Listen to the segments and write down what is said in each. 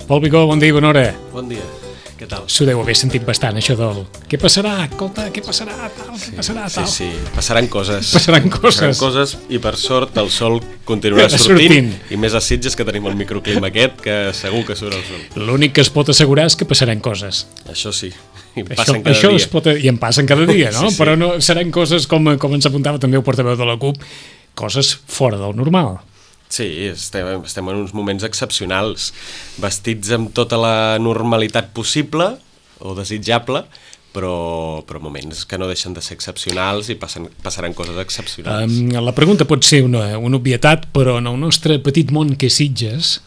Pol Bigó, bon dia i bona hora. Bon dia, què tal? S'ho deu haver sentit bastant, això del... Què passarà? Escolta, què passarà? Tal, què passarà? Tal. Sí, passaran coses. Passaran coses. Passaran coses i per sort el sol continuarà sortint. I més a Sitges, que tenim el microclima aquest, que segur que surt el sol. L'únic que es pot assegurar és que passaran coses. Això sí, i passen cada això dia. I en passen cada dia, no? Sí. Però no, seran coses, com ens apuntava també el portaveu de la CUP, coses fora del normal. Sí, estem en uns moments excepcionals, vestits amb tota la normalitat possible o desitjable, però moments que no deixen de ser excepcionals i passaran coses excepcionals. La pregunta pot ser una obvietat, però en el nostre petit món que és Sitges,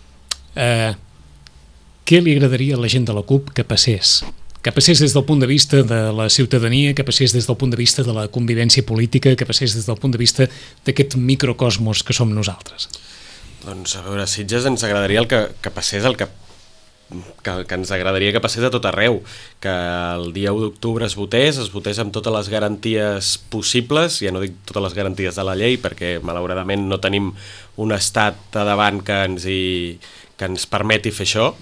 què li agradaria a la gent de la CUP que passés? Que passés des del punt de vista de la ciutadania, que passés des del punt de vista de la convivència política, que passés des del punt de vista d'aquest microcosmos que som nosaltres. Doncs a veure, a Sitges ens agradaria que passés el que ens agradaria que passés a tot arreu, que el dia 1 d'octubre es votés amb totes les garanties possibles, ja no dic totes les garanties de la llei, perquè malauradament no tenim un estat a davant que ens permeti fer això,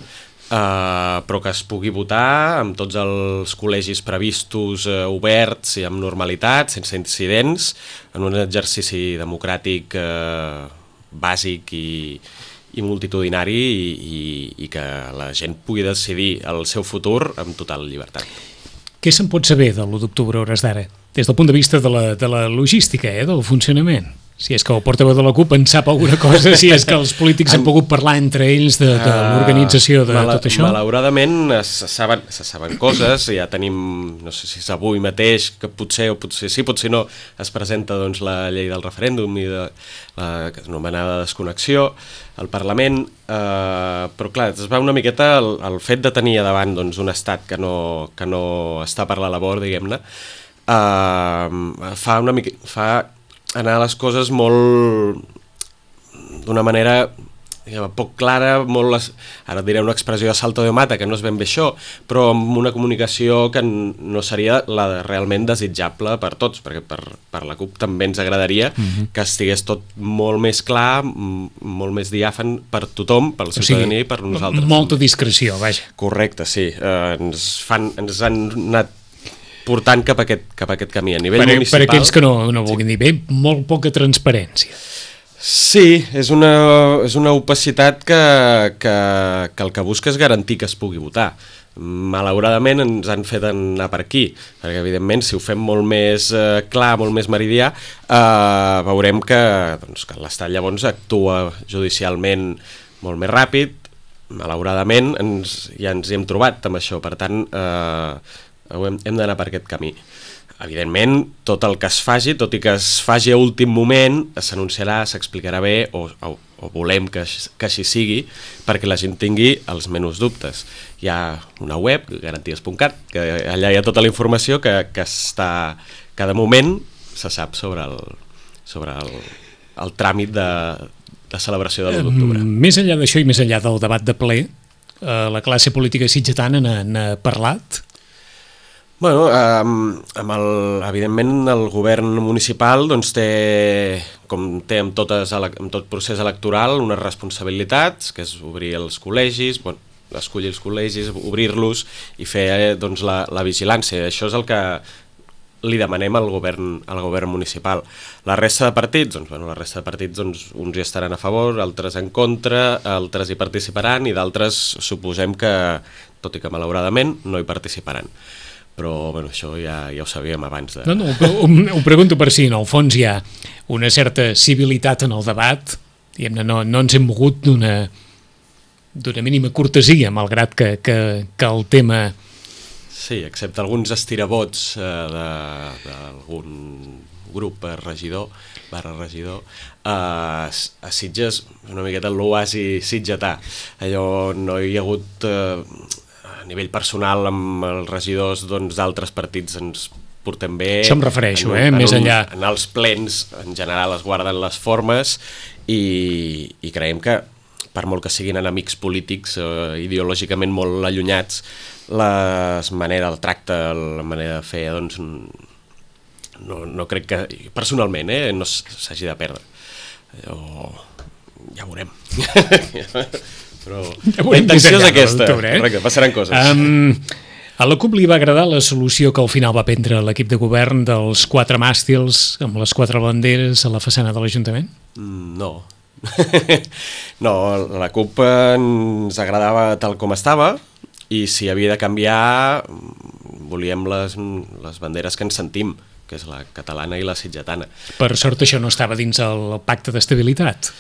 però que es pugui votar amb tots els col·legis previstos oberts i amb normalitat, sense incidents, en un exercici democràtic bàsic i multitudinari i que la gent pugui decidir el seu futur amb total llibertat. Què se'n pot saber de l'1 d'octubre a hores d'ara? Des del punt de vista de la logística, del funcionament. Si és que el portaveu de la CUP en sap alguna cosa, si és que els polítics han pogut parlar entre ells de l'organització de tot això. Malauradament se saben coses, ja tenim, no sé si és avui mateix, que potser o potser sí, potser no, es presenta doncs, la llei del referèndum i de l'anomenada desconnexió al Parlament, però clar, es va una miqueta el fet de tenir davant doncs, un estat que no està per la labor, diguem-ne, fa anar les coses molt d'una manera poc clara, ara diré una expressió de salto de mata, que no és ben bé això, però amb una comunicació que no seria la realment desitjable per tots, perquè per la CUP també ens agradaria que estigués tot molt més clar, molt més diàfan per tothom, per la ciutadania i per nosaltres. Molta discreció, vaja. Correcte, sí. Ens han anat portant cap a aquest camí a nivell municipal. Per aquells que no vulguin dir bé, molt poca transparència. Sí, és una opacitat que el que busca és garantir que es pugui votar. Malauradament ens han fet anar per aquí, perquè evidentment si ho fem molt més clar, molt més meridià, veurem que l'Estat llavors actua judicialment molt més ràpid. Malauradament ja ens hi hem trobat amb això, per tant hem d'anar per aquest camí. Evidentment, tot el que es faci, tot i que es faci a últim moment, s'anunciarà, s'explicarà bé, o volem que així sigui, perquè la gent tingui els menys dubtes. Hi ha una web, garanties.cat, que allà hi ha tota la informació que està, cada moment se sap sobre el tràmit de celebració de l'1 d'octubre. Més enllà d'això i més enllà del debat de ple, la classe política sitgetana n'ha parlat? Bueno, evidentment el govern municipal doncs, té, com té amb tot procés electoral, unes responsabilitats, que és obrir els col·legis, escollir els col·legis, obrir-los i fer doncs, la vigilància. Això és el que li demanem al govern municipal. La resta de partits, doncs, uns hi estaran a favor, altres en contra, altres hi participaran i d'altres suposem que, tot i que malauradament, no hi participaran. Però això ja ho sabíem abans de... No, ho pregunto per si en el fons hi ha una certa civilitat en el debat, diguem-ne, no ens hem mogut d'una mínima cortesia, malgrat que el tema... Sí, excepte alguns estirabots d'algun grup regidor, a Sitges, una miqueta l'oasi sitgetà. Allò no hi ha hagut... a nivell personal amb els regidors d'altres partits ens portem bé. Això em refereixo, més enllà. En els plens, en general, es guarden les formes i creiem que, per molt que siguin enemics polítics, ideològicament molt allunyats, la manera del tracte, la manera de fer, doncs, no crec que, personalment, no s'hagi de perdre. Ja veurem. però la intenció és aquesta, correcte, passaran coses. A la CUP li va agradar la solució que al final va prendre l'equip de govern dels 4 màstils amb les 4 banderes a la façana de l'Ajuntament? No. No, la CUP ens agradava tal com estava i si havia de canviar volíem les banderes que ens sentim, que és la catalana i la sitgetana. Per sort això no estava dins el pacte d'estabilitat.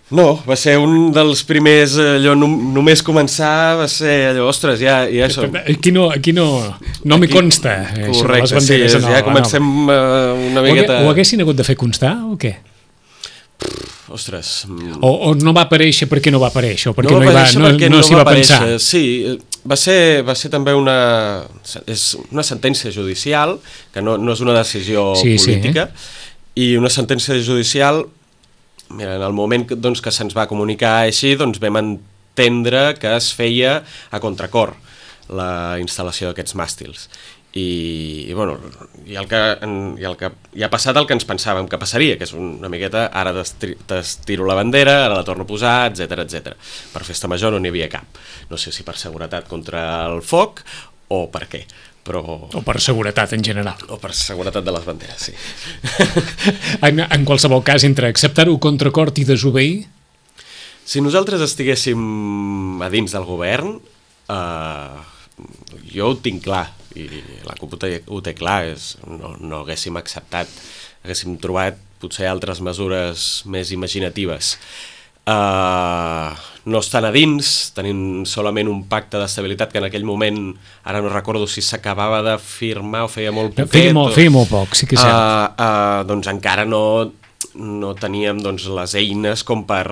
No, va ser un dels primers, allò, només començar, va ser allò, ostres, ja som. Aquí no m'hi consta, correcte, les banderes. Sí, ja comencem una miqueta... Ho haguessin hagut de fer constar o què? Ostres... O no va aparèixer perquè no va aparèixer, o perquè no s'hi va pensar? Sí, va ser també és una sentència judicial, que no és una decisió política, i una sentència judicial... Mira, en el moment doncs, que se'ns va comunicar així, doncs vam entendre que es feia a contracor la instal·lació d'aquests màstils. I el que ha passat el que ens pensàvem que passaria, que és una miqueta, ara t'estiro la bandera, ara la torno a posar, etc. Per festa major no n'hi havia cap. No sé si per seguretat contra el foc o per què. O per seguretat en general. O per seguretat de les banderes, sí. En qualsevol cas, entre acceptar-ho contra cort i desobeir? Si nosaltres estiguéssim a dins del govern, jo ho tinc clar, i la CUP ho té clar, no haguéssim acceptat, haguéssim trobat potser altres mesures més imaginatives. No estan a dins, tenim solament un pacte d'estabilitat que en aquell moment, ara no recordo si s'acabava de firmar o feia molt poquet. Feia molt poc, sí que és cert. Doncs encara no teníem les eines com per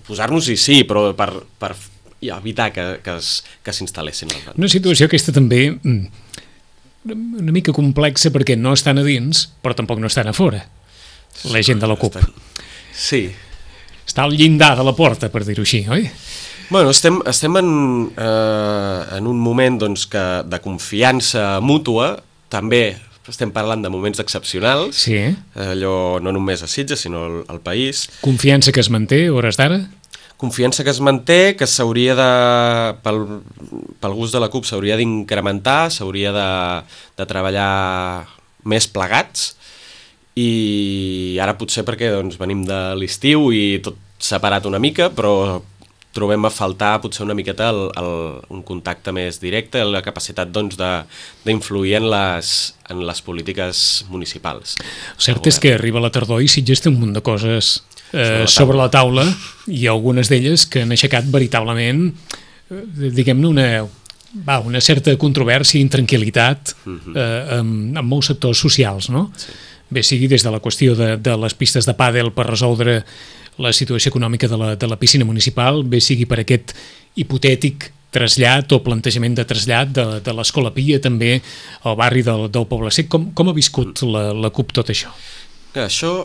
posar-nos-hi, sí, però per evitar que s'instal·lessin. Una situació aquesta també una mica complexa perquè no estan a dins, però tampoc no estan a fora, la gent de la CUP. Sí. Està al llindar de la porta, per dir-ho així, oi? Bueno, estem en un moment de confiança mútua, també estem parlant de moments excepcionals, sí. Allò no només a Sitges, sinó al país. Confiança que es manté, hores d'ara? Confiança que es manté, que s'hauria pel gust de la CUP s'hauria d'incrementar, s'hauria de treballar més plegats, i ara potser perquè venim de l'estiu i tot s'ha parat una mica, però trobem a faltar potser una miqueta un contacte més directe, la capacitat d'influir en les polítiques municipals. El cert és que arriba la tardor i Sitges té un munt de coses sobre la taula i algunes d'elles que han aixecat veritablement, diguem-ne, una certa controvèrsia i intranquil·litat en molts sectors socials, no? Sí. Bé sigui des de la qüestió de les pistes de pàdel per resoldre la situació econòmica de la piscina municipal, bé sigui per aquest hipotètic trasllat o plantejament de trasllat de l'Escola Pia també al barri del Poble Sec. Com ha viscut la CUP tot això? Això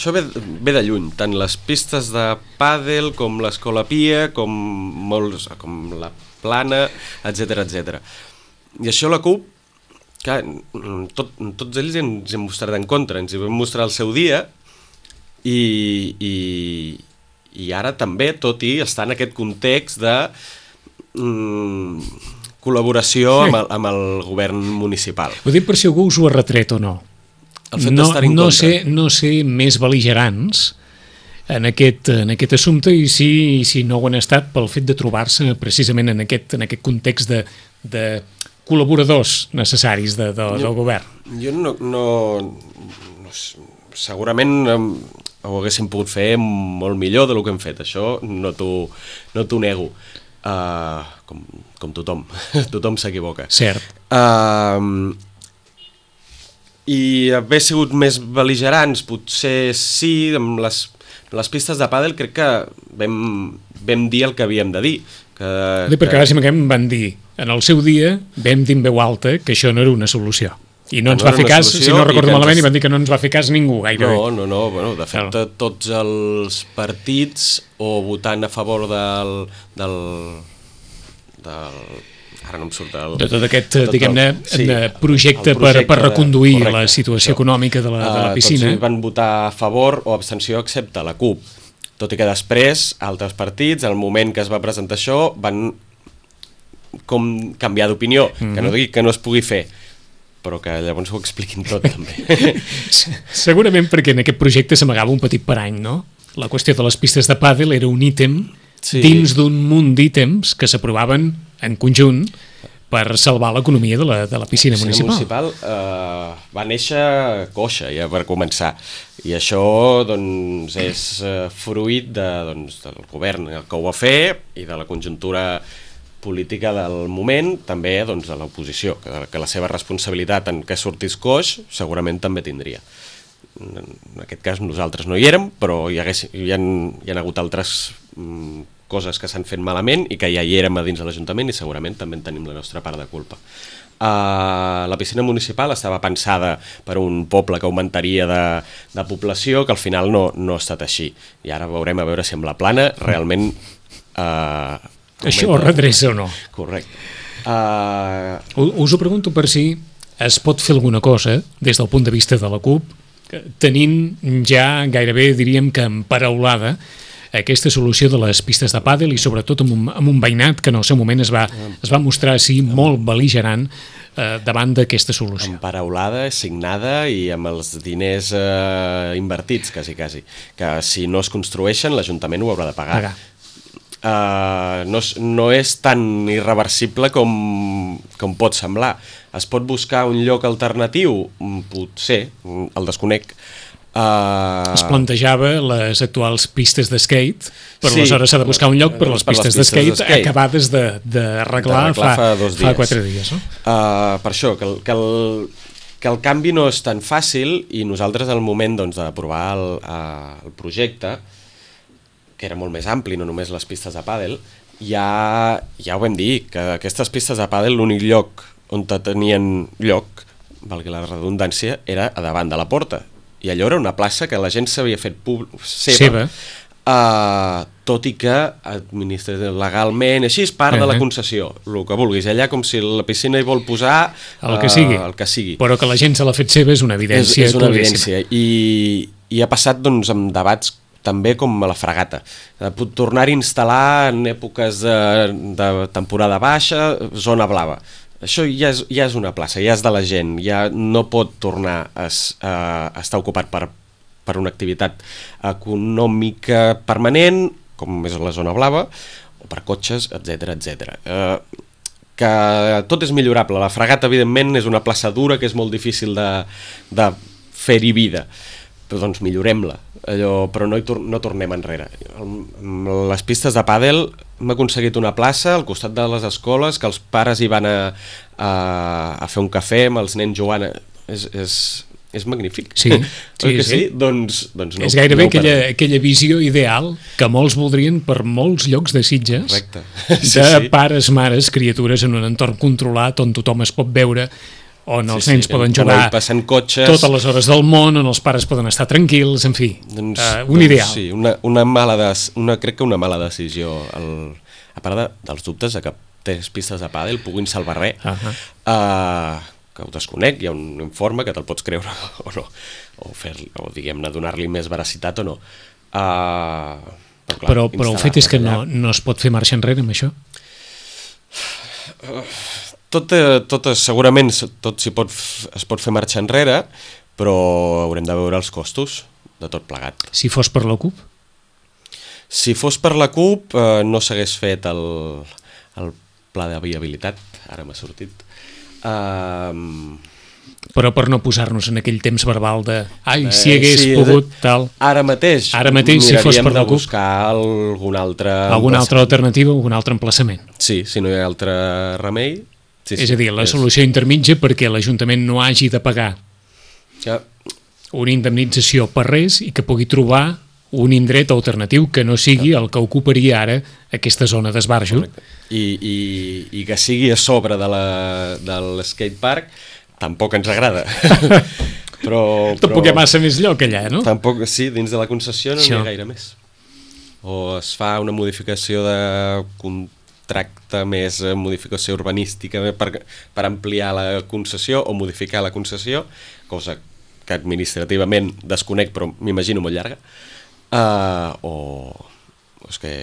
ve de lluny, tant les pistes de pàdel com l'Escola Pia, com la Plana, etc. I això la CUP, clar, tots ells ens hem mostrat en contra, ens hi vam mostrar el seu dia i ara també, tot i estar en aquest context de col·laboració amb el govern municipal. Ho dic per si algú us ho ha retret o no. El fet d'estar en contra. No ser més bel·ligerants en aquest assumpte i si no ho han estat pel fet de trobar-se precisament en aquest context de col·laboradors necessaris del govern. Jo no segurament ho haguéssim pogut fer molt millor del que hem fet, això no t'ho nego, com tothom s'equivoca. Cert. I haver sigut més bel·ligerants, potser sí, amb les pistes de pàdel crec que vam dir el que havíem de dir. Perquè ara van dir, en el seu dia vam dir en veu alta que això no era una solució. I no ens va fer cas, si no recordo malament, i van dir que no ens va fer cas ningú gairebé. No, de fet tots els partits o votant a favor ara no em surt de tot aquest, diguem-ne, projecte per reconduir la situació econòmica de la piscina. Tots van votar a favor o abstenció excepte la CUP. Tot i que després, altres partits, al moment que es va presentar això, van com canviar d'opinió, que no digui que no es pugui fer, però que llavors ho expliquin tot, també. Segurament perquè en aquest projecte s'amagava un petit parany, no? La qüestió de les pistes de pàdel era un ítem dins d'un munt d'ítems que s'aprovaven en conjunt per salvar l'economia de la piscina municipal. Va néixer coixa, ja per començar, i això doncs, és fruit del govern que ho va fer i de la conjuntura política del moment, també doncs, de l'oposició, que la seva responsabilitat en què sortís coix segurament també tindria. En aquest cas nosaltres no hi érem, però hi ha hagut altres coses que s'han fet malament i que ja hi érem a dins de l'Ajuntament i segurament també en tenim la nostra part de culpa. La piscina municipal estava pensada per un poble que augmentaria de població, que al final no ha estat així. I ara veurem a veure si amb la plana realment... això ho redreça o no? Correcte. Us ho pregunto per si es pot fer alguna cosa des del punt de vista de la CUP, tenint ja gairebé, diríem que emparaulada, aquesta solució de les pistes de pàdel i sobretot amb un veïnat que en el seu moment es va mostrar així molt bel·ligerant davant d'aquesta solució. Emparaulada, signada i amb els diners invertits, quasi. Que si no es construeixen, l'Ajuntament ho haurà de pagar. No és tan irreversible com pot semblar. Es pot buscar un lloc alternatiu? Potser, el desconec. Es plantejava les actuals pistes d'skate, però aleshores s'ha de buscar un lloc per les pistes d'skate acabades d'arreglar fa 4 dies. No? Per això, que el canvi no és tan fàcil i nosaltres al moment d'aprovar el projecte, que era molt més ampli, no només les pistes de pàdel, ja ho vam dir, que aquestes pistes de pàdel l'únic lloc on tenien lloc, valgui la redundància, era a davant de la porta. I allò era una plaça que la gent s'havia fet seva. Tot i que legalment, així és part de la concessió, el que vulguis, allà com si la piscina hi vol posar el que sigui. Però que la gent se l'ha fet seva és una evidència. És una evidència, i ha passat doncs, amb debats també com a la Fragata. Tornar-hi a instal·lar en èpoques de temporada baixa, zona blava. Això ja és una plaça, ja és de la gent, ja no pot tornar a estar ocupat per una activitat econòmica permanent, com és la zona blava, o per cotxes, etc. Que tot és millorable. La Fragata, evidentment, és una plaça dura que és molt difícil de fer-hi vida, però doncs millorem-la, però no tornem enrere. Les pistes de pàdel hem aconseguit una plaça al costat de les escoles, que els pares hi van a fer un cafè amb els nens jugant. És magnífic. Sí. Doncs no, és gairebé aquella visió ideal que molts voldrien per molts llocs de Sitges. Correcte. De pares, mares, criatures en un entorn controlat on tothom es pot veure, on els nens poden jugar totes les hores del món, on els pares poden estar tranquils, en fi, un ideal. Sí, crec que una mala decisió, a part dels dubtes de que 3 pistes de pàdel puguin salvar res, que ho desconec, hi ha un informe que te'l pots creure o no, o diguem-ne, donar-li més veracitat o no. Però el fet és que no es pot fer marxa enrere amb això? Segurament tot es pot fer marxa enrere, però haurem de veure els costos de tot plegat. Si fos per la CUP? Si fos per la CUP no s'hagués fet el pla de viabilitat, ara m'ha sortit. Però per no posar-nos en aquell temps verbal de si hagués pogut tal... Ara mateix si fos per la CUP, buscar alguna altra alternativa, algun altre emplaçament. Sí, si no hi ha altre remei. És a dir, la solució intermitja perquè l'Ajuntament no hagi de pagar una indemnització per res i que pugui trobar un indret alternatiu que no sigui el que ocuparia ara aquesta zona d'esbarjo. I que sigui a sobre de l'skatepark tampoc ens agrada. Tampoc hi ha massa més lloc allà, no? Tampoc, sí, dins de la concessió no n'hi ha gaire més. O es fa una modificació de contracte més modificació urbanística per ampliar la concessió o modificar la concessió, cosa que administrativament desconec però m'imagino molt llarga, o és que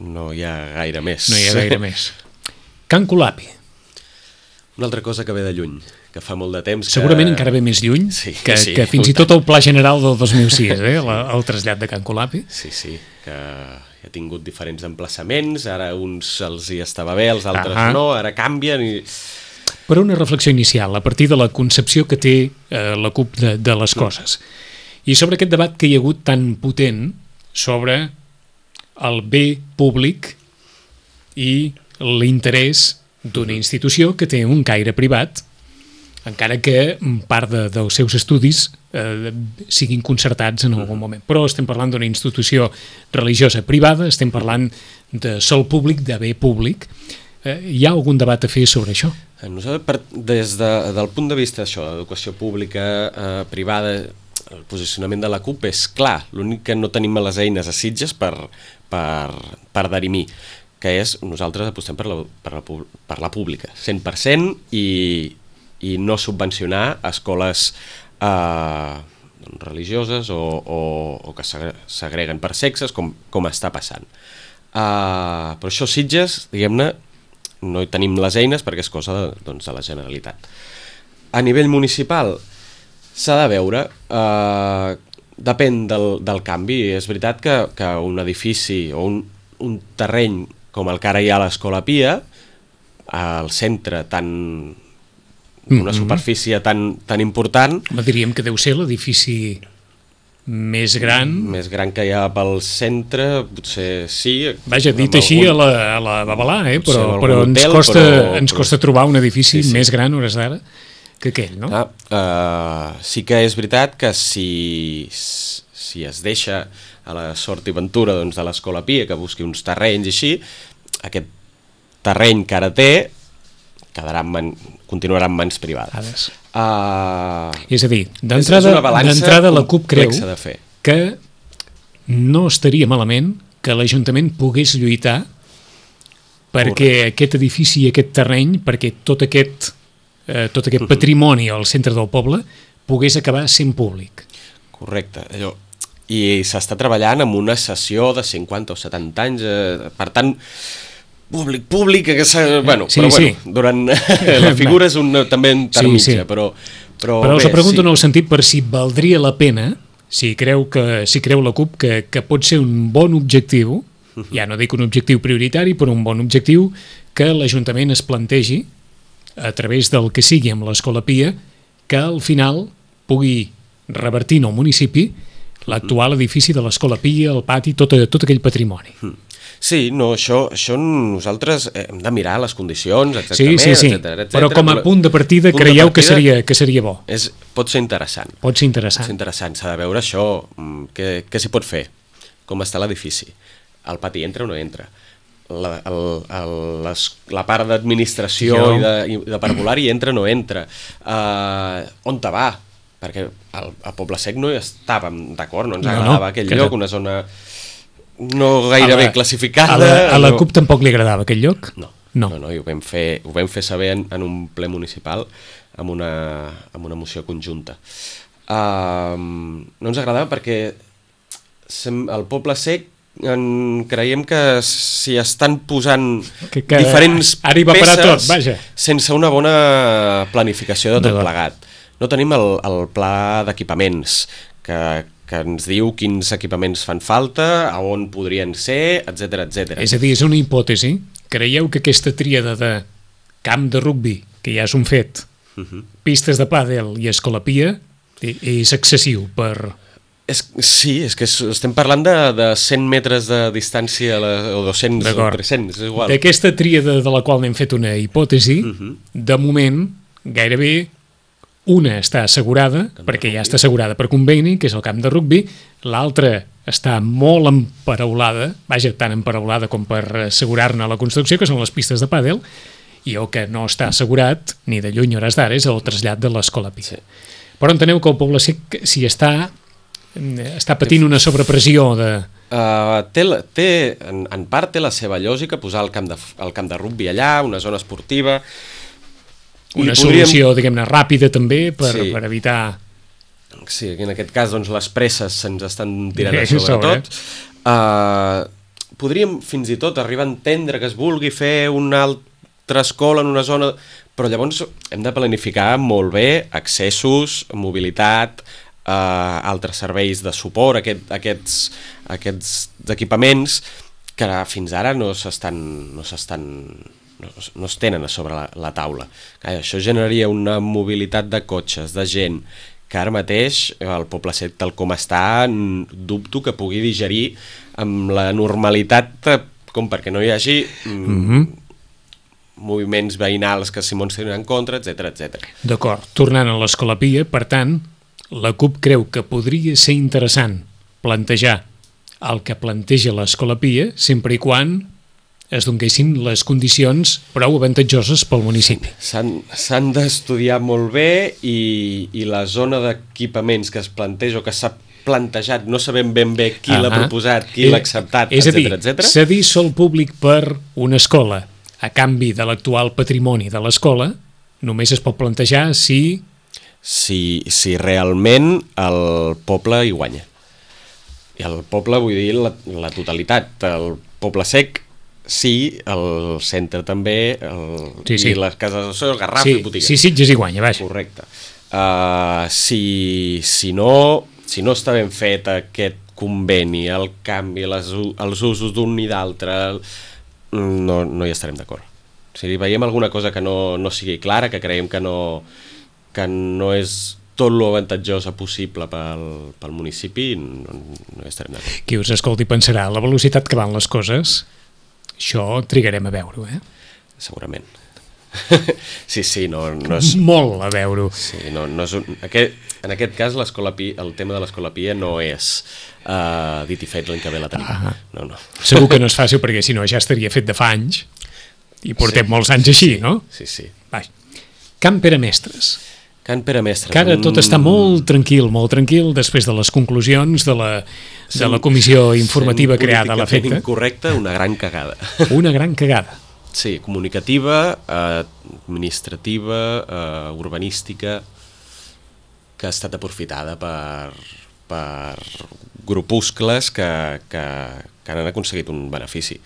no hi ha gaire més. No hi ha gaire més. Can Colapi. Una altra cosa que ve de lluny, que fa molt de temps... Segurament encara ve més lluny que fins i tot el Pla General del 2006, el trasllat de Can Colapi. Sí, que ha tingut diferents emplaçaments, ara uns els hi estava bé, els altres no, ara canvien i... Però una reflexió inicial, a partir de la concepció que té la CUP de les coses. I sobre aquest debat que hi ha hagut tan potent sobre el bé públic i l'interès d'una institució que té un caire privat, encara que part dels seus estudis siguin concertats en algun moment. Però estem parlant d'una institució religiosa privada, estem parlant de sòl públic, de bé públic. Hi ha algun debat a fer sobre això? Nosaltres, des del punt de vista d'això, d'educació pública, privada, el posicionament de la CUP és clar, l'únic que no tenim les eines a Sitges per dirimir, que és nosaltres apostem per la pública, 100%, i no subvencionar escoles religioses o que segreguen per sexes, com està passant. Però això Sitges, diguem-ne, no hi tenim les eines perquè és cosa de la Generalitat. A nivell municipal s'ha de veure, depèn del canvi. És veritat que un edifici o un terreny com el que ara hi ha a l'Escola Pia, al centre una superfície tan important... Diríem que deu ser l'edifici més gran... Més gran que hi ha pel centre, potser sí... Vaja, dit així a la babalà, però ens costa trobar un edifici més gran a hores d'ara que aquell, no? Sí que és veritat que si es deixa a la sort i ventura de l'Escola Pia que busqui uns terrenys i així, aquest terreny que ara té continuarà en mans privades. És a dir, d'entrada la CUP creu que no estaria malament que l'Ajuntament pogués lluitar perquè aquest edifici i aquest terreny, perquè tot aquest patrimoni al centre del poble pogués acabar sent públic. Correcte, i s'està treballant amb una sessió de 50 o 70 anys, per tant, públic, durant la figura és també intermitja, però us pregunto en el sentit per si valdria la pena, si creu la CUP que pot ser un bon objectiu, ja no dic un objectiu prioritari, però un bon objectiu, que l'Ajuntament es plantegi, a través del que sigui amb l'Escola Pia, que al final pugui revertir en el municipi l'actual edifici de l'Escola Pia, el pati, tot aquell patrimoni. Sí, no, això nosaltres hem de mirar les condicions, exactament, etcètera. Però com a punt de partida creieu que seria bo? Pot ser interessant. Pot ser interessant. S'ha de veure això, què s'hi pot fer, com està l'edifici, el pati entra o no entra, la part d'administració i de parvulari entra o no entra, on te va, perquè a Poble Sec no hi estàvem d'acord, no ens agradava aquell lloc, una zona no gaire bé classificada. A la CUP tampoc li agradava aquell lloc? No, i ho vam fer saber en un ple municipal amb una moció conjunta. No ens agradava perquè al Poble Sec creiem que s'hi estan posant diferents peces sense una bona planificació de tot plegat. No tenim el pla d'equipaments que ens diu quins equipaments fan falta, a on podrien ser, etcètera. És a dir, és una hipòtesi. Creieu que aquesta tríada de camp de rugbi, que ja és un fet, pistes de pàdel i Escola Pia, és excessiu per... Sí, és que estem parlant de 100 metres de distància o 200 o 300, és igual. D'aquesta tríada de la qual n'hem fet una hipòtesi, de moment, gairebé una està assegurada, perquè ja està assegurada per conveni, que és el camp de rugbi, l'altra està molt emparaulada, tan emparaulada com per assegurar-ne la construcció, que són les pistes de pàdel, i el que no està assegurat, ni de lluny hores d'ara, és el trasllat de l'Escola Pia. Però enteneu que el Poble Sec s'hi està patint una sobrepressió de... En part té la seva lògica posar el camp de rugbi allà, una zona esportiva... Una solució, diguem-ne, ràpida també per evitar... Sí, en aquest cas les presses se'ns estan tirant a sobre tot. podríem fins i tot arribar a entendre que es vulgui fer una altra escola en una zona, però llavors hem de planificar molt bé accessos, mobilitat, altres serveis de suport, aquests equipaments que fins ara no es tenen a sobre la taula. Això generaria una mobilitat de cotxes, de gent, que ara mateix el Poble Sec tal com està dubto que pugui digerir amb la normalitat com perquè no hi hagi moviments veïnals que s'hi tenen en contra, etc. D'acord, tornant a l'Escola Pia, per tant, la CUP creu que podria ser interessant plantejar el que planteja l'Escola Pia sempre i quan es donguessin les condicions prou avantatjoses pel municipi. S'han d'estudiar molt bé i la zona d'equipaments que es planteja o que s'ha plantejat, no sabem ben bé qui l'ha proposat, qui l'ha acceptat, etc. És a dir, cedir sòl públic per una escola a canvi de l'actual patrimoni de l'escola només es pot plantejar si realment el poble hi guanya. I el poble vull dir la totalitat. El Poble Sec sí, el centre també, i les cases de sol, Garraf i botigues. Sí, Sitges hi guanya, vaja. Correcte. Si no està ben fet aquest conveni, el canvi, els usos d'un i d'altre, no hi estarem d'acord. Si veiem alguna cosa que no sigui clara, que creiem que no és tot lo avantatjosa possible pel municipi, no hi estarem d'acord. Qui us escolti pensarà, la velocitat que van les coses, això trigarem a veure-ho, Segurament. Sí, no és... Molt a veure-ho. Sí, no és en aquest cas el tema de l'Escola Pia no és dit i fet l'any que ve la tenim. No. Segur que no és fàcil perquè si no ja estaria fet de fa anys i portem molts anys així, no? Sí. Can Pere Mestres. Can Pere Mestres. Que ara tot està molt tranquil, després de les conclusions de la comissió informativa creada a la FECTA. Incorrecte, una gran cagada. Una gran cagada. Sí, comunicativa, administrativa, urbanística, que ha estat aprofitada per grupuscles que han aconseguit un benefici.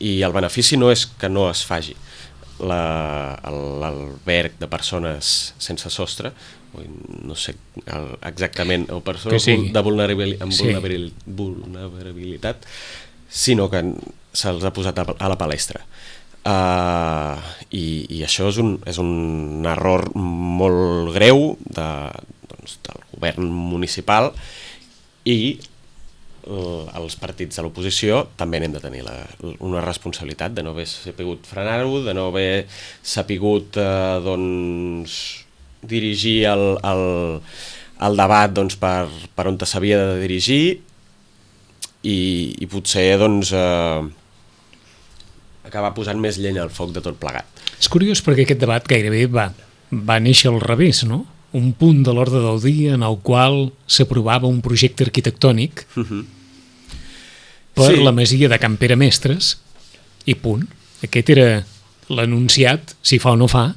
I el benefici no és que no es faci l'alberg de persones sense sostre, no sé exactament, o persones amb vulnerabilitat, sinó que se'ls ha posat a la palestra. I això és un error molt greu del govern municipal, i els partits de l'oposició també n'hem de tenir una responsabilitat de no haver sabut frenar-ho, de no haver sabut dirigir el debat per on s'havia de dirigir, i potser acabar posant més llenya al foc de tot plegat. És curiós perquè aquest debat gairebé va néixer al revés, no? Un punt de l'ordre del dia en el qual s'aprovava un projecte arquitectònic per la masia de Can Pere Mestres, i punt. Aquest era l'anunciat, si fa o no fa,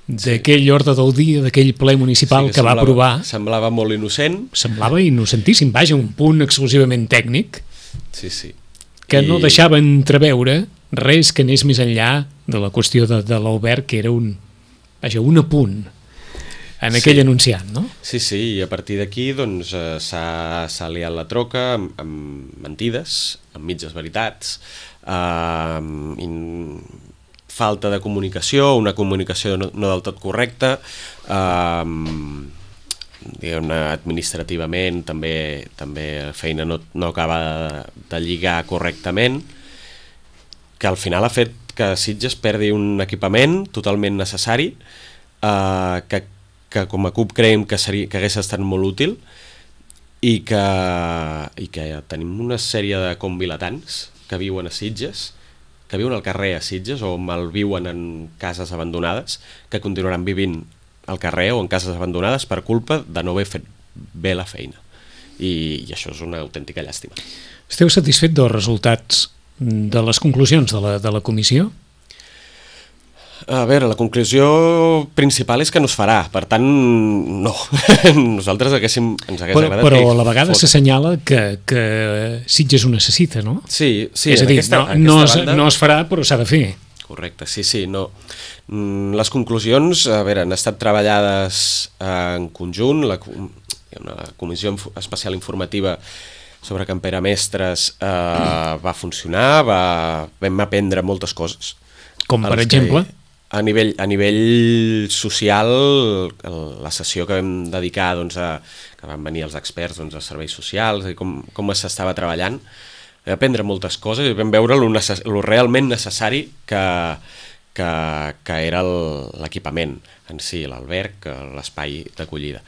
d'aquell ordre del dia, d'aquell ple municipal que va aprovar. Semblava molt innocent. Semblava innocentíssim, vaja, un punt exclusivament tècnic, que no deixava entreveure res que anés més enllà de la qüestió de l'Albert, que era un apunt en aquell anunciat, no? Sí, i a partir d'aquí s'ha liat la troca amb mentides, amb mitges veritats, falta de comunicació, una comunicació no del tot correcta, diguem-ne, administrativament també la feina no acaba de lligar correctament, que al final ha fet que Sitges perdi un equipament totalment necessari, que com a CUP creiem que hagués estat molt útil, i que tenim una sèrie de convilatans que viuen a Sitges, que viuen al carrer a Sitges, o malviuen en cases abandonades, que continuaran vivint al carrer o en cases abandonades per culpa de no haver fet bé la feina. I això és una autèntica llàstima. Esteu satisfet dels resultats de les conclusions de la comissió? A veure, la conclusió principal és que no es farà, per tant, no. Nosaltres ens hagués agradat... Però a la vegada s'assenyala que Sitges ho necessita, no? Sí, és a dir, no es farà, però s'ha de fer. Correcte, sí, no. Les conclusions, a veure, han estat treballades en conjunt, hi ha una comissió especial informativa sobre Campera Mestres va funcionar, vam aprendre moltes coses. Com per exemple? A nivell social, la sessió que vam dedicar que van venir els experts dels serveis socials, com s'estava treballant, vam aprendre moltes coses i vam veure lo realment necessari que era l'equipament en si, l'alberg, l'espai d'acollida.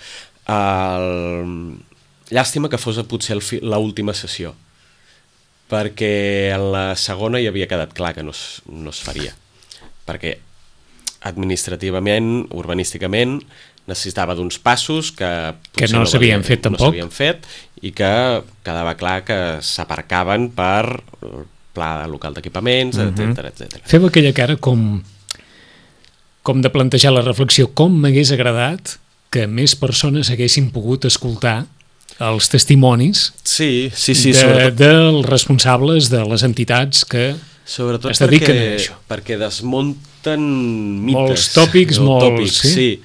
Llàstima que fos potser l'última sessió, perquè en la segona ja havia quedat clar que no es faria, perquè administrativament, urbanísticament, necessitava d'uns passos que no s'havien fet tampoc. No s'havien fet i que quedava clar que s'aparcaven per el pla local d'equipaments, etc. Feu aquella cara com de plantejar la reflexió, com m'hagués agradat que més persones haguessin pogut escoltar els testimonis dels responsables de les entitats que es dediquen a això. Perquè desmunten mites. Molts tòpics, sí.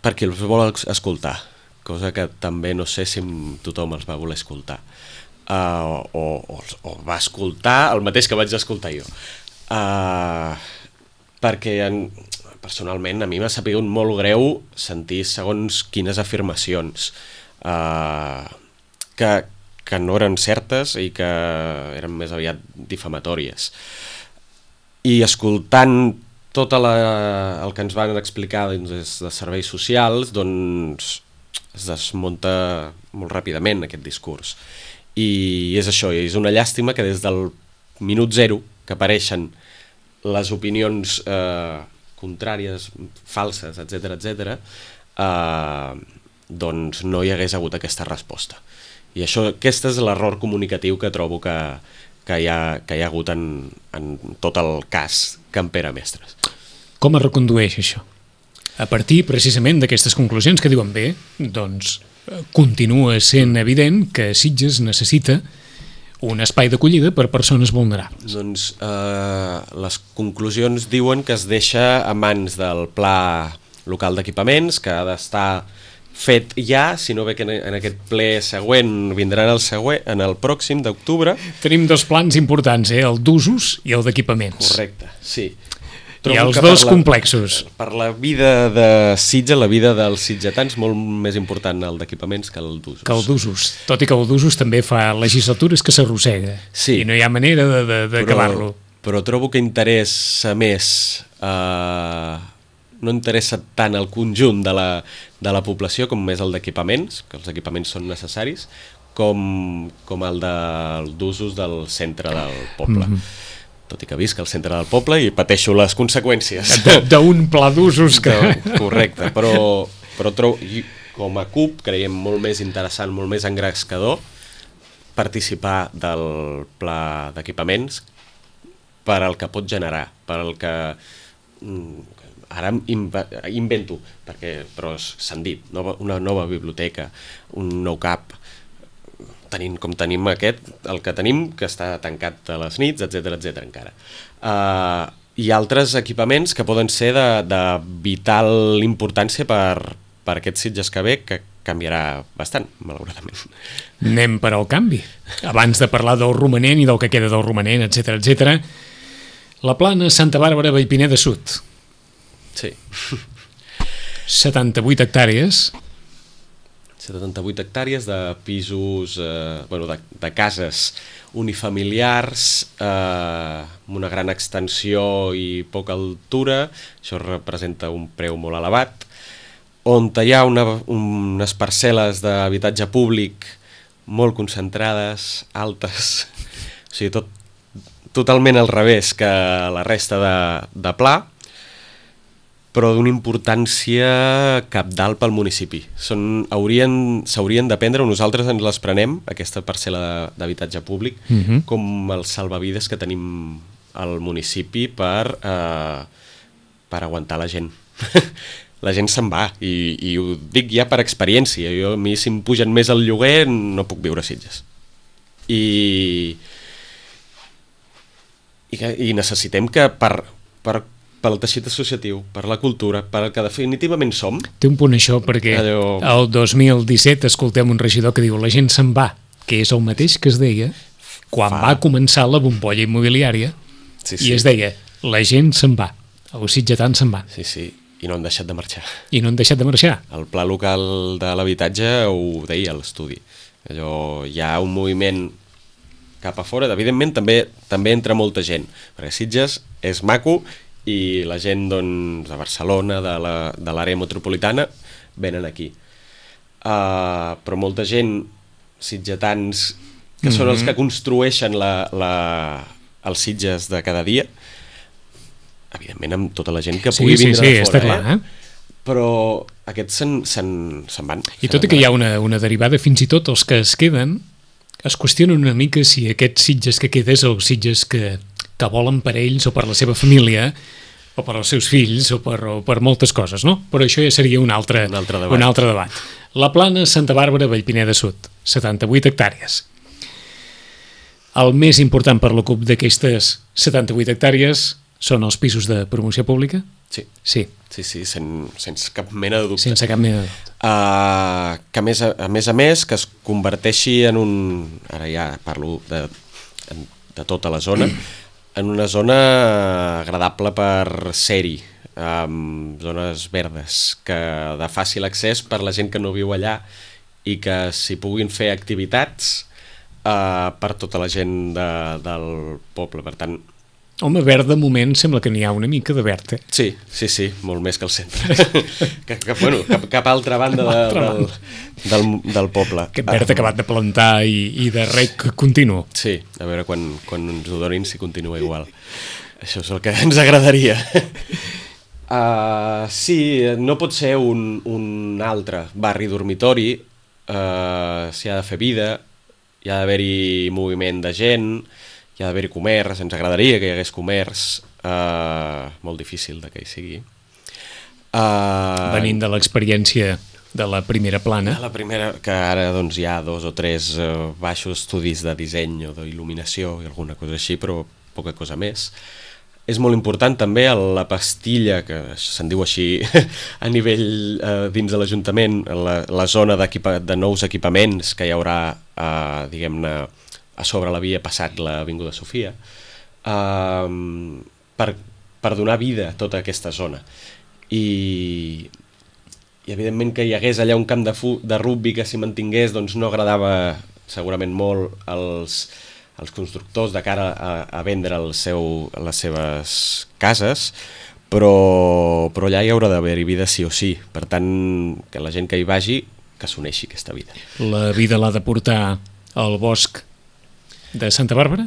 Perquè els vol escoltar, cosa que també no sé si tothom els va voler escoltar. O va escoltar el mateix que vaig escoltar jo. Perquè personalment a mi m'ha sabut molt greu sentir segons quines afirmacions que no eren certes i que eren més aviat difamatòries. I escoltant tot el que ens van explicar des de serveis socials, doncs es desmunta molt ràpidament aquest discurs. I és això, és una llàstima que des del minut zero que apareixen les opinions contràries, falses, etc., doncs no hi hagués hagut aquesta resposta. I aquest és l'error comunicatiu que trobo que hi ha hagut en tot el cas Campera Mestres. Com es recondueix això? A partir precisament d'aquestes conclusions que diuen bé, doncs continua sent evident que Sitges necessita un espai d'acollida per persones vulnerables. Doncs les conclusions diuen que es deixa a mans del Pla Local d'Equipaments, que ha d'estar fet ja, si no ve que en aquest ple següent vindran en el pròxim d'octubre. Tenim dos plans importants, el d'usos i el d'equipaments. Correcte, sí. I els dos complexos. Per la vida de Sitges, la vida dels sitgetans, molt més important el d'equipaments que el d'usos. Que el d'usos, tot i que el d'usos també fa legislatures que s'arrossega, sí, i no hi ha manera d'acabar-lo. Però trobo que interessa més... no interessa tant el conjunt de la població com més el d'equipaments, que els equipaments són necessaris, com el d'usos del centre del poble. Tot i que visc al centre del poble i pateixo les conseqüències. D'un pla d'usos que... Correcte, però trobo, com a CUP creiem molt més interessant, molt més engrescador participar del pla d'equipaments per al que pot generar, per al que... Ara invento, però s'han dit, una nova biblioteca, un nou CAP, com tenim el que tenim, que està tancat a les nits, etc encara. I altres equipaments que poden ser de vital importància per aquest Sitges que ve, que canviarà bastant, malauradament. Anem per al canvi. Abans de parlar del romanent i del que queda del romanent, etc. La plana Santa Bàrbara Vallpineda Sud. Sí. 78 hectàrees. 78 hectàrees de pisos, de cases unifamiliars, amb una gran extensió i poca altura. Això representa un preu molt elevat, on hi ha unes parcel·les d'habitatge públic molt concentrades, altes, o sigui, totalment al revés que la resta de Pla, però d'una importància cabdal pel municipi. S'haurien de prendre, nosaltres ens les prenem, aquesta parcel·la d'habitatge públic, com els salvavides que tenim al municipi per per aguantar la gent. La gent se'n va, i ho dic ja per experiència. A mi, si em pugen més el lloguer, no puc viure a Sitges. I necessitem que pel teixit associatiu, per la cultura, per el que definitivament som... Té un punt això, perquè el 2017 escoltem un regidor que diu la gent se'n va, que és el mateix que es deia quan va començar la bombolla immobiliària, i es deia la gent se'n va, els sitgetans se'n van. Sí, i no han deixat de marxar. I no han deixat de marxar. El pla local de l'habitatge ho deia a l'estudi. Allò, hi ha un moviment cap a fora, evidentment també entra molta gent, perquè Sitges és maco i la gent doncs, de Barcelona, de l'àrea metropolitana, venen aquí. Però molta gent, sitgetans, que són els que construeixen els Sitges de cada dia, evidentment amb tota la gent que pugui vindre de fora, està clar, però aquests se'n van. I tot i que hi ha una derivada, fins i tot els que es queden es qüestionen una mica si aquests Sitges que quedes o Sitges que volen per ells o per la seva família o per als seus fills o per moltes coses, no? Però això ja seria un altre debat. La Plana, Santa Bàrbara, Vallpineda Sud, 78 hectàrees. El més important per la CUP d'aquestes 78 hectàrees són els pisos de promoció pública? Sí, sense cap mena de dubte. Sense cap mena de dubte. Que a més que es converteixi en un... Ara ja parlo de tota la zona, en una zona agradable per ser-hi, amb zones verdes, de fàcil accés per la gent que no viu allà i que s'hi puguin fer activitats per tota la gent del poble. Per tant, home, verd de moment sembla que n'hi ha una mica de verd, Sí, molt més que al centre. cap altra banda del poble. Aquest verd acabat de plantar i de rec continu. Sí, a veure quan ens ho donin si continua igual. Això és el que ens agradaria. Sí, no pot ser un altre barri dormitori, s'hi ha de fer vida, hi ha d'haver-hi moviment de gent, hi ha d'haver comerç, ens agradaria que hi hagués comerç, molt difícil que hi sigui. Venint de l'experiència de la primera plana. La primera, que ara doncs, hi ha 2 o 3 baixos estudis de disseny o d'il·luminació i alguna cosa així, però poca cosa més. És molt important també la pastilla, que se'n diu així a nivell dins de l'Ajuntament, la zona de nous equipaments que hi haurà, diguem-ne, a sobre l'havia passat l'Avinguda Sofia, per donar vida a tota aquesta zona. I evidentment que hi hagués allà un camp de rugbi que s'hi mantingués, doncs no agradava segurament molt als constructors de cara a vendre les seves cases, però allà hi haurà d'haver-hi vida sí o sí. Per tant, que la gent que hi vagi, que s'uneixi aquesta vida. La vida l'ha de portar al bosc de Santa Bàrbara?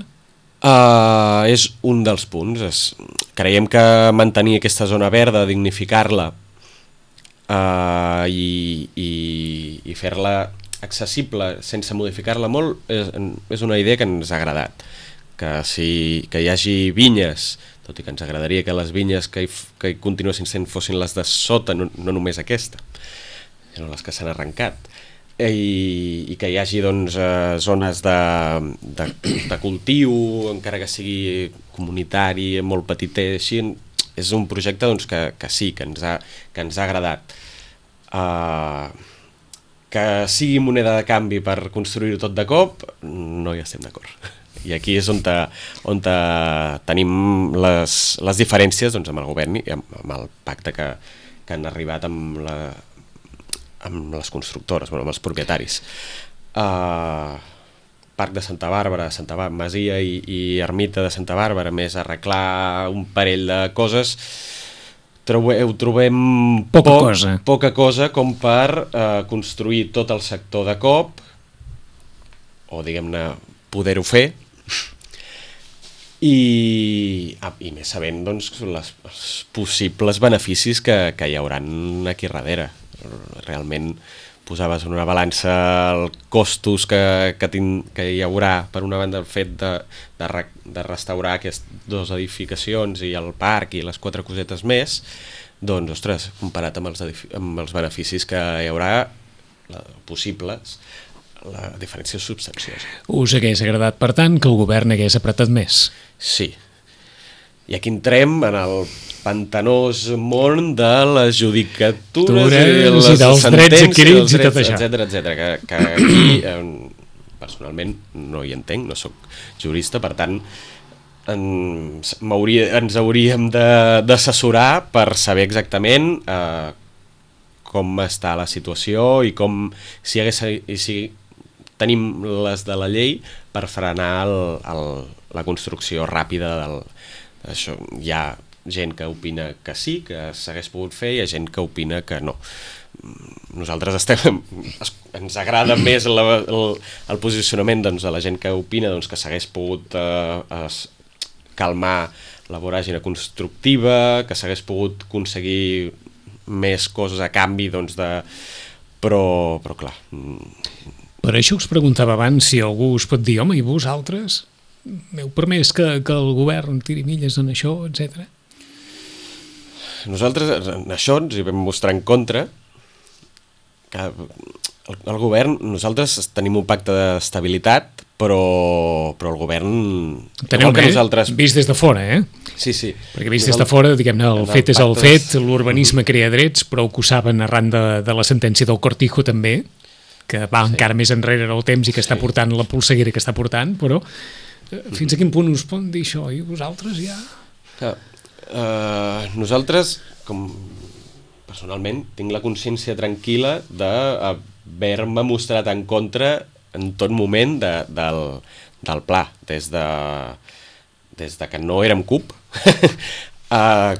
És un dels punts. Creiem que mantenir aquesta zona verda, dignificar-la i fer-la accessible sense modificar-la molt és una idea que ens ha agradat. Que hi hagi vinyes, tot i que ens agradaria que les vinyes que hi continuessin sent fossin les de sota, no només aquesta, sinó les que s'han arrencat. I que hi hagi doncs, zones de cultiu, encara que sigui comunitari, molt petitet, així. És un projecte doncs, que sí, que ens ha agradat. Que sigui moneda de canvi per construir-ho tot de cop, no hi estem d'acord. I aquí és on tenim les diferències doncs, amb el govern i amb el pacte que han arribat amb les constructores, amb els propietaris. Parc de Santa Bàrbara, Masia i Ermita de Santa Bàrbara, més arreglar un parell de coses, ho trobem poca cosa com per construir tot el sector de cop, o diguem-ne poder-ho fer, i més sabent doncs, els possibles beneficis que hi hauran aquí darrere. Realment posaves en una balança els costos que hi haurà, per una banda, el fet de restaurar aquestes dues edificacions i el parc i les 4 cosetes més, doncs, ostres, comparat amb els beneficis que hi haurà possibles, la diferència és substanciosa. Us hagués agradat, per tant, que el govern hagués apretat més? Sí. I aquí entrem en el pantanós món de les judicatures i les dels drets adquirits i tot això. Etcètera, que aquí personalment no hi entenc, no sóc jurista, per tant ens hauríem d'assessorar per saber exactament com està la situació i si tenim les de la llei per frenar la construcció ràpida d'això. Hi ha gent que opina que sí, que s'hagués pogut fer, i hi ha gent que opina que no. Nosaltres ens agrada més el posicionament de la gent que opina que s'hagués pogut calmar la voràgine constructiva, que s'hagués pogut aconseguir més coses a canvi, però clar. Per això us preguntava abans si algú us pot dir, home, i vosaltres heu permès que el govern tiri milles en això, etc. Nosaltres en això ens hi vam mostrar en contra, que el govern, nosaltres tenim un pacte d'estabilitat, però el govern... Teneu bé, vist des de fora, Sí. Perquè vist des de fora, diguem-ne, el fet és el fet, l'urbanisme crea drets, però ho saben arran de la sentència del Cortijo també, que va encara més enrere en el temps i que està portant la polseguera que està portant, però fins a quin punt us poden dir això? I vosaltres ja... Nosaltres, com personalment, tinc la consciència tranquil·la d'haver-me mostrat en contra en tot moment del pla, des de que no érem CUP,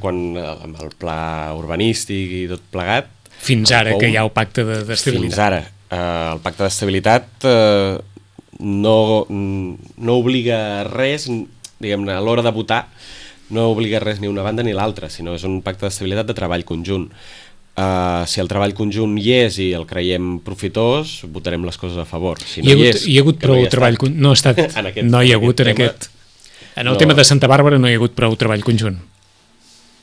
quan amb el pla urbanístic i tot plegat. Fins ara que hi ha el pacte d'estabilitat. Fins ara. El pacte d'estabilitat no obliga res, diguem-ne, a l'hora de votar, no obliga res ni una banda ni l'altra, sinó és un pacte d'estabilitat de treball conjunt. Si el treball conjunt hi és i el creiem profitós, votarem les coses a favor. Si no hi ha hagut prou treball conjunt? No hi ha hagut en aquest. En el tema de Santa Bàrbara no hi ha hagut prou treball conjunt.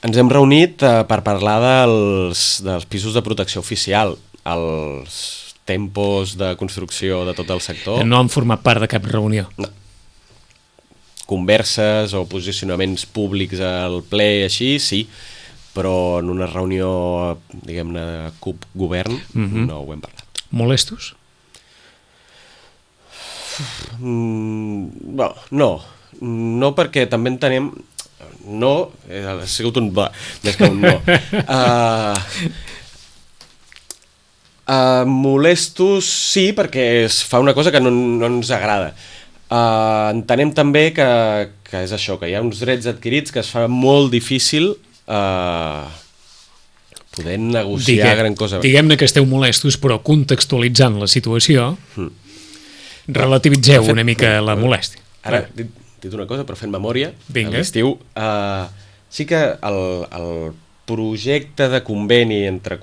Ens hem reunit per parlar dels pisos de protecció oficial, els tempos de construcció de tot el sector. No han format part de cap reunió. No. Converses o posicionaments públics al ple així, sí, però en una reunió, diguem-ne, de CUP-govern no ho hem parlat. Molestos? No, perquè també entenem... No, ha sigut un va, més que un no. Molestos sí, perquè es fa una cosa que no ens agrada. Entenem també que és això, que hi ha uns drets adquirits que es fa molt difícil poder negociar gran cosa. Diguem-ne que esteu molestos, però contextualitzant la situació, relativitzeu una mica la molèstia. Ara, dit una cosa, però fent memòria, a l'estiu, sí que el projecte de conveni entre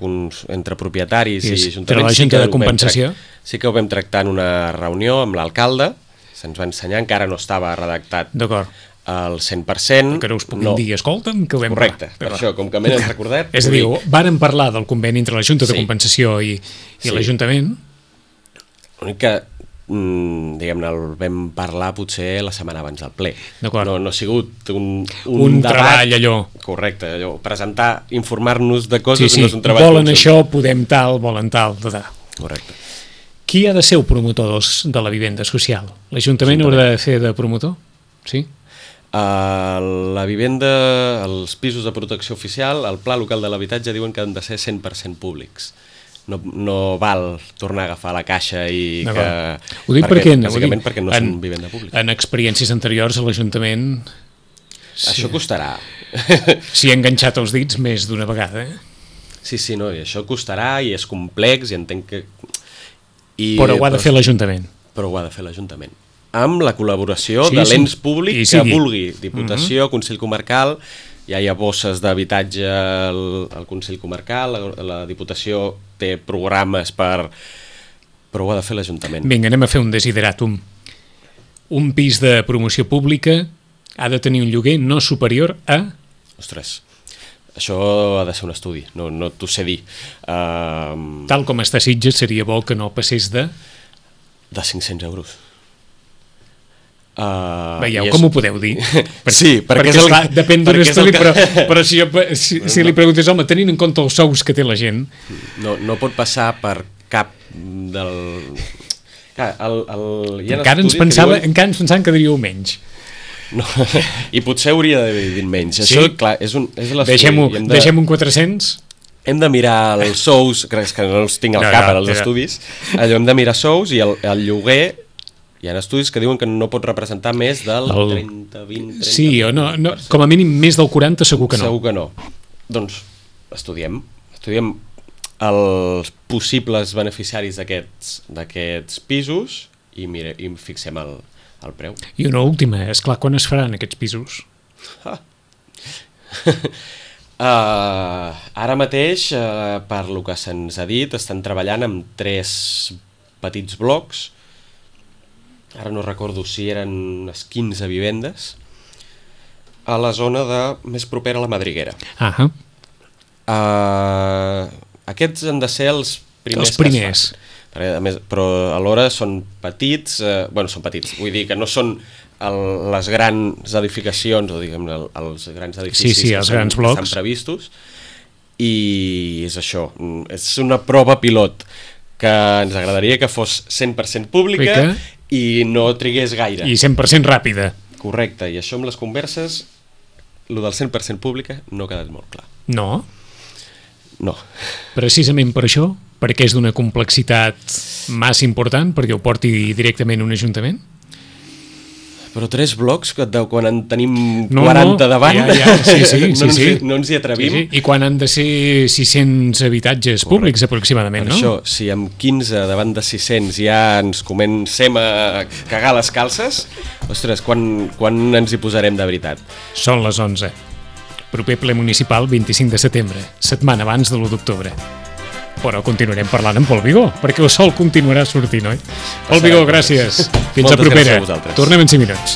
propietaris i ajuntaments sí que ho vam tractar en una reunió amb l'alcalde, se'ns va ensenyar, encara no estava redactat al 100%. Que no us puguin dir, escolta'm, que ho vam correcte, per això, com que m'he recordat... És a dir, vàrem parlar del conveni entre la Junta de Compensació i l'Ajuntament. L'únic que, diguem-ne, el vam parlar potser la setmana abans del ple. No ha sigut un treball allò. Correcte, allò, presentar, informar-nos de coses no és un treball. Volen això, podem tal, volen tal. Correcte. Qui ha de ser el promotor de la vivenda social? L'Ajuntament haurà de fer de promotor? Sí? La vivenda, els pisos de protecció oficial, el Pla Local de l'Habitatge diuen que han de ser 100% públics. No val tornar a agafar la caixa i que... Ho dic perquè no són vivenda pública. En experiències anteriors a l'Ajuntament... Això costarà. S'hi ha enganxat els dits més d'una vegada, Sí, no, i això costarà i és complex i entenc que... Però ho ha de fer l'Ajuntament. Però ho ha de fer l'Ajuntament. Amb la col·laboració de l'ens públic que vulgui. Diputació, Consell Comarcal, ja hi ha bosses d'habitatge al Consell Comarcal, la Diputació té programes per... Però ho ha de fer l'Ajuntament. Vinga, anem a fer un desideratum. Un pis de promoció pública ha de tenir un lloguer no superior a... Ostres, això ha de ser un estudi, no t'ho sé dir. Tal com està a Sitges, seria bo que no passés de... De 500 euros. Veieu com ho podeu dir? Sí, perquè és el... Clar, depèn d'un estudi, però si li preguntes, home, tenint en compte els sous que té la gent... No pot passar per cap del... Clar, encara ens pensaven que diríeu menys. No, i potser hauria d'haver dit menys. Això, clar, és l'estudi. Deixem un 400... Hem de mirar els sous, que no els tinc al cap als estudis, allò hem de mirar sous i el lloguer, hi ha estudis que diuen que no pot representar més del 30, 20, 30... Sí, o no, com a mínim més del 40 segur que no. Segur que no. Doncs estudiem els possibles beneficiaris d'aquests pisos i fixem el preu. I una última, esclar, quan es faran aquests pisos? Ara mateix, per lo que se'ns ha dit, estan treballant amb 3 petits blocs, ara no recordo si eren unes 15 vivendes, a la zona més propera a la Madriguera. Aquests han de ser els primers. Però alhora són petits, són petits, vull dir que no són les grans edificacions, o diguem els grans edificis els grans blocs que estan previstos, i és això, és una prova pilot que ens agradaria que fos 100% pública i no trigués gaire. I 100% ràpida. Correcte, i això amb les converses, el del 100% pública no ha quedat molt clar. No? No. Precisament per això? Perquè és d'una complexitat massa important, perquè ho porti directament un ajuntament? Però 3 blocs, quan en tenim 40 davant, no ens hi atrevim. Sí. I quan han de ser 600 habitatges públics, aproximadament, no? Per això, si amb 15 davant de 600 ja ens comencem a cagar les calces, ostres, quan ens hi posarem de veritat? Són les 11. Proper ple municipal, 25 de setembre, setmana abans de l'1 d'octubre. Però continuarem parlant amb Pol Vigó, perquè el sol continuarà sortint, oi? Pol Vigó, gràcies. Fins a propera. Tornem en 5 minuts.